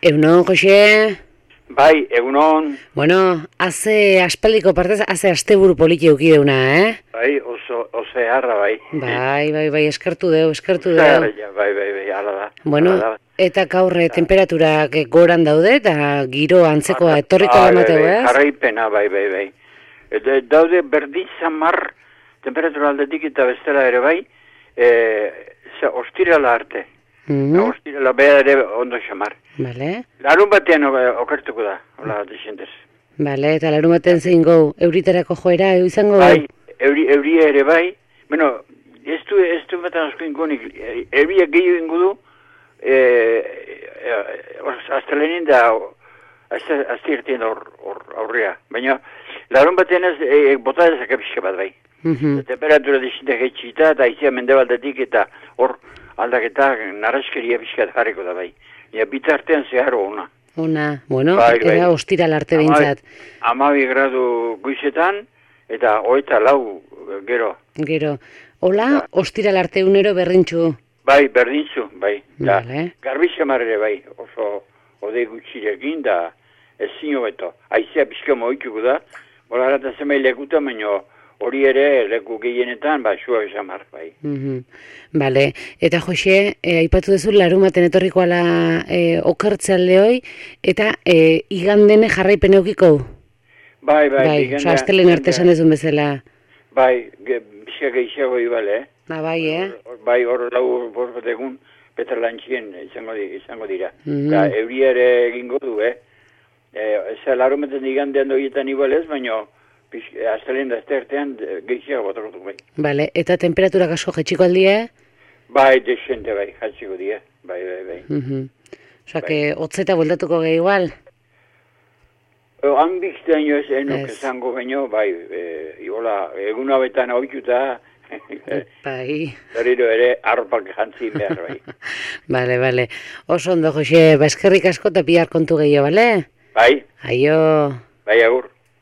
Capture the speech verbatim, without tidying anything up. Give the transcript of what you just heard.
Egunon, Jose? Bai, egunon. Bueno, haze aspaldiko partez, haze asteburu poliki eukideuna, eh? Bai, oso, oso harra, bai. Bai, bai, bai, eskertu deu, eskertu deu. Zara, ja, bai, bai, bai, ala da. Bueno, ala da. eta gaurre temperaturak goran daude, eta giro antzekoa etorriko Bai, lamateu, bai, ez? jarraipena, bai, bai, bai. Eta daude berdin zamar temperatura aldetik eta bestela ere bai, e, za, ostirala arte. Mhm. Ostirala beha ere ondo xamar. Bale, Larun batean o- okertuko da, hola, desentez. bale, eta larun baten zein gau, euriterako joera, eu izango Bai, euri, euri ere bai, bueno, ez du, ez du batan asko ingonik, euria gehiago ingo du, e, e, astelenin da, azte irtien hor, hor aurrea, baina, larun batean ez, e, bota dezake pixka bat bai. Mhm. Temperatura dizintek etxita, eta izia mendebaldetik, eta hor aldaketa naraskeria pixka jarriko da bai. Ja, bitartean zeharo ona. Ona, bueno, Bai, bai. era ostiral arte behintzat. Amabi gradu guizetan, eta hogeita lau gero. Gero, hola, Ja. ostiral arte unero berrintxu. Bai, berdintzu, bai. Da, Vale. garbi xamar ere bai, oso odei gutxirekin, da ez zino beto. Aizea pixka moituko da, bola harata zemai lekuta, baino hori ere leku gehienetan, ba, xua xamar, bai. Mhm. Bale, eta Jose, e, aipatu duzu larumaten etorriko ala e, okertzealde hoi, eta e, igandene jarraipen eukiko? Bai, bai. Bai, bigenda- oza, astelen arte esan dezun bezala. Bai, ge, pixka gehiago ibale, eh? Ba, bai, eh? Hor- Bai, hor lau bost egun petrolantxien izango, di, izango dira. Mhm. Da, euri ere egingo du, eh? E, Eza, larumeten igandean doietan igual ez, baina astelen da aztertean gehiago botakotu bai. Bale, eta temperaturak asko jetxiko aldie? Bai, desente bai, jatziko dira. Bai, bai, bai. Mhm. Osa, que hotzeta bueltatuko gehi igual? O, Hanbiztean jo ez enok Ez. esango baino, bai, e, iola, egun hauetan ohituta, Bai. berriro ere arropak jantzi behar bai. Bale, bale. Oso ondo, Jose, ba, eskerrik asko eta bihar kontu gehiago, bale? Bai, Aio. bai agur.